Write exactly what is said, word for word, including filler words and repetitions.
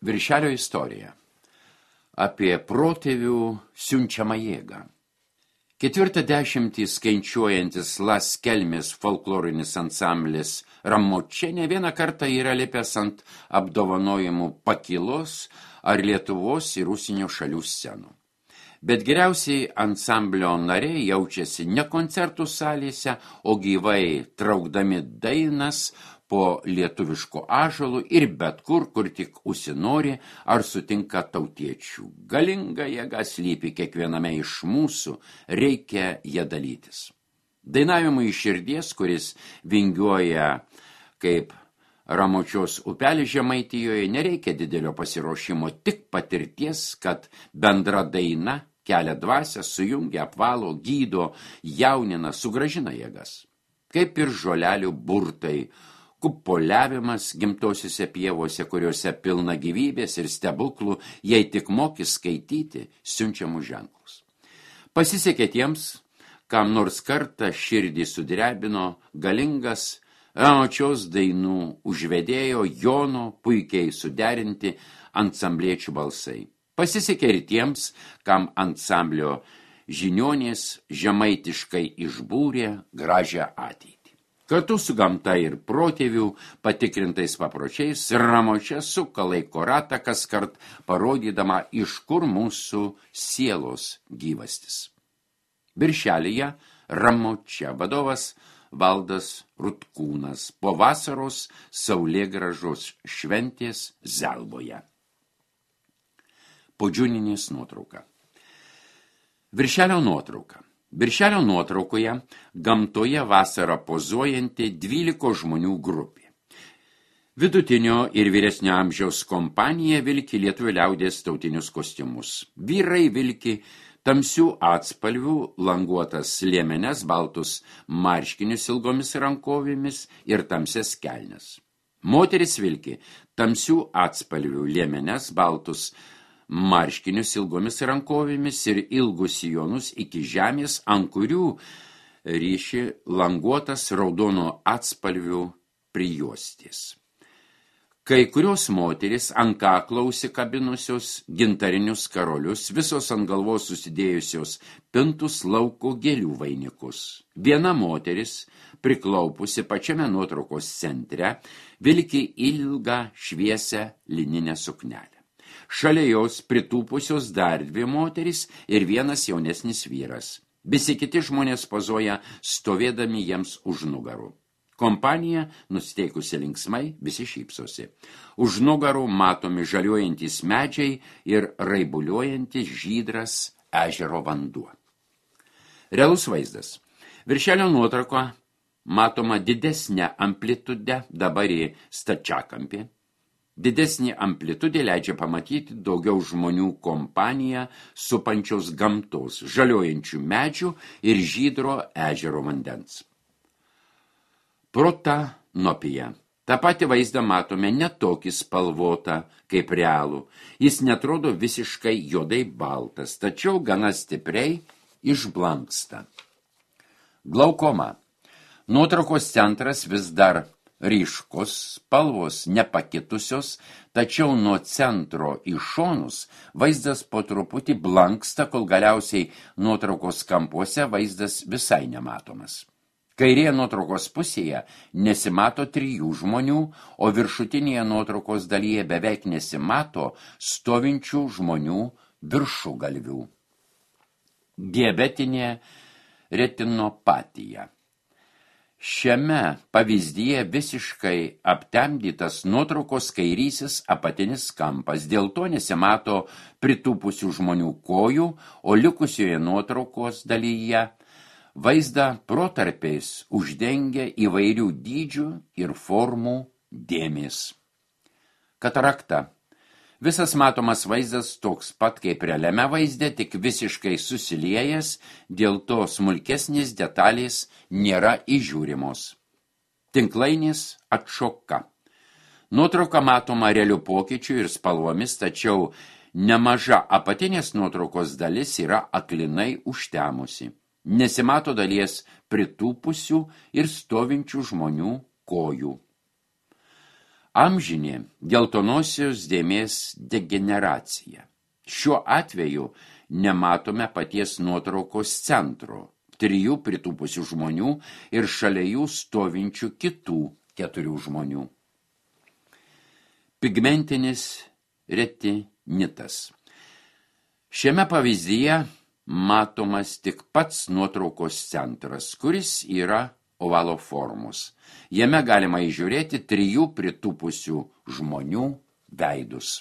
Viršelio istorija apie protėvių siunčiamą jėgą. Ketvirtą dešimtį skaičiuojantis Las Kelmės folklorinis ansamblis Ramočia ne vieną kartą yra lipęs ant apdovanojimų pakylos ar Lietuvos ir užsienio šalių scenų. Bet geriausiai ansamblio nariai jaučiasi ne koncertų salėse, o gyvai traukdami dainas po lietuviško ąžuolų ir bet kur, kur tik užsinori ar sutinka tautiečių. Galinga jėga slypi kiekviename iš mūsų, reikia ją dalytis. Dainavimui iš širdies, kuris vingiuoja kaip Ramočios upelis Žemaitijoje, nereikia didelio pasiruošimo, tik patirties, kad bendra daina kelia dvasią, sujungia, apvalo, gydo, jaunina, sugrąžina jėgas. Kaip ir žolelių burtai, kupoliavimas gimtosiuose pievose, kuriuose pilna gyvybės ir stebuklų, jei tik moki skaityti siunčiamus ženklus. Pasisekė tiems, kam nors kartą širdį sudrebino galingas Ramočios dainų užvedėjo Jono puikiai suderinti ansambliečių balsai. Pasisekė ir tiems, kam ansamblio žiniuonės žemaitiškai išbūrė gražią ateitį. Kartu su gamta ir protėvių patikrintais papročiais Ramočia suka laiko ratą kaskart parodydama, iš kur mūsų sielos gyvastis. Birželyje Ramočia vadovas Valdas Rutkūnas po vasaros saulėgražos šventės Zelvoje. Podžiūninės nuotrauka. Viršelio nuotrauka. Viršelio nuotraukoje gamtoje vasarą pozuojanti dvyliko žmonių grupė. Vidutinio ir vyresnio amžiaus kompanija vilki lietuvių liaudies tautinius kostiumus. Vyrai vilki tamsių atspalvių languotas liemenes, baltus marškinius ilgomis rankovėmis ir tamsias kelnes. Moteris vilki tamsių atspalvių liemenes, baltus marškinius ilgomis rankovėmis ir ilgus sijonus iki žemės, ant kurių ryši languotas raudono atspalvių prijuostės. Kai kurios moteris ant kaklo užsikabinusios gintarinius karolius, visos ant galvos susidėjusios pintus lauko gėlių vainikus. Viena moteris, priklaupusi pačiame nuotraukos centre, vilki ilgą šviesią lininę suknelę. Šalia jos pritūpusios dar dvi moterys ir vienas jaunesnis vyras. Visi kiti žmonės pozuoja stovėdami jiems už nugarų. Kompanija, nusiteikusi linksmai, visi šypsosi. Už nugarų matomi žaliuojantys medžiai ir raibuliuojantis žydras ežero vanduo. Realus vaizdas. Viršelio nuotrauko matoma didesnė amplitude, dabar į stačiakampį. Didesnė amplitudė leidžia pamatyti daugiau žmonių kompaniją supančios gamtos, žaliuojančių medžių ir žydro ežero vandens. Protanopija. Ta pati vaizdą matome netokį spalvotą kaip realų. Jis netrodo visiškai juodai baltas, tačiau gana stipriai išblanksta. Glaukoma. Nuotraukos centras vis dar ryškus, spalvos nepakitusios, tačiau nuo centro į šonus vaizdas po truputį blanksta, kol galiausiai nuotraukos kampuose vaizdas visai nematomas. Kairėje nuotraukos pusėje nesimato trijų žmonių, o viršutinėje nuotraukos dalyje beveik nesimato stovinčių žmonių viršugalvių. Diabetinė retinopatija. Šiame pavyzdyje visiškai aptemdytas nuotraukos kairysis apatinis kampas, dėl to nesimato pritūpusių žmonių kojų, o likusioje nuotraukos dalyje vaizdą protarpiais uždengia įvairių dydžių ir formų dėmės. Katarakta. Visas matomas vaizdas toks pat kaip realiame vaizde, tik visiškai susiliejęs, dėl to smulkesnės detalės nėra įžiūrimos. Tinklainės atšoka. Nuotrauka matoma realių pokyčių ir spalvomis, tačiau nemaža apatinės nuotraukos dalis yra aklinai užtemusi. Nesimato dalies pritūpusių ir stovinčių žmonių kojų. Amžinė geltonosios dėmės degeneracija. Šiuo atveju nematome paties nuotraukos centro, trijų pritūpusių žmonių ir šalia jų stovinčių kitų keturių žmonių. Pigmentinis retinitas. Šiame pavyzdyje matomas tik pats nuotraukos centras, kuris yra ovalo formos. Jame galima įžiūrėti trijų pritūpusių žmonių veidus.